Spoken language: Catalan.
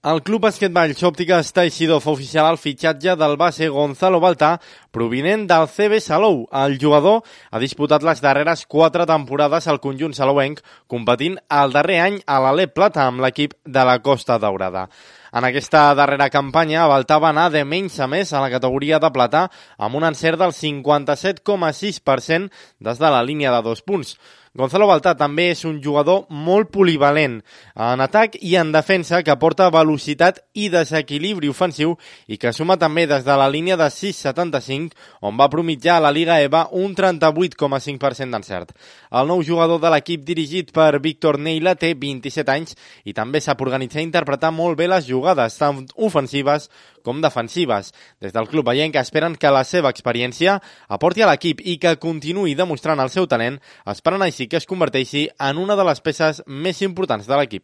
El Club Basquetball Òptiques Teixidor fa oficial el fitxatge del base Gonzalo Baltà, provinent del CB Salou. El jugador ha disputat les darreres 4 temporades al conjunt salouenc, competint el darrer any a l'Alep Plata amb l'equip de la Costa Daurada. En aquesta darrera campanya, Baltà va anar de menys a més a la categoria de plata amb un encert del 57,6% des de la línia de 2 punts. Gonzalo Baltà també és un jugador molt polivalent en atac i en defensa, que aporta velocitat i desequilibri ofensiu i que suma també des de la línia de 6,75, on va promitjar a la Lliga EVA un 38,5% d'encert. El nou jugador de l'equip dirigit per Víctor Neila té 27 anys i també sap organitzar i interpretar molt bé les jugades, tant ofensives com defensives. Des del club veient que esperen que la seva experiència aporti a l'equip i que continuï demostrant el seu talent, esperant així que es converteixi en una de les peces més importants de l'equip.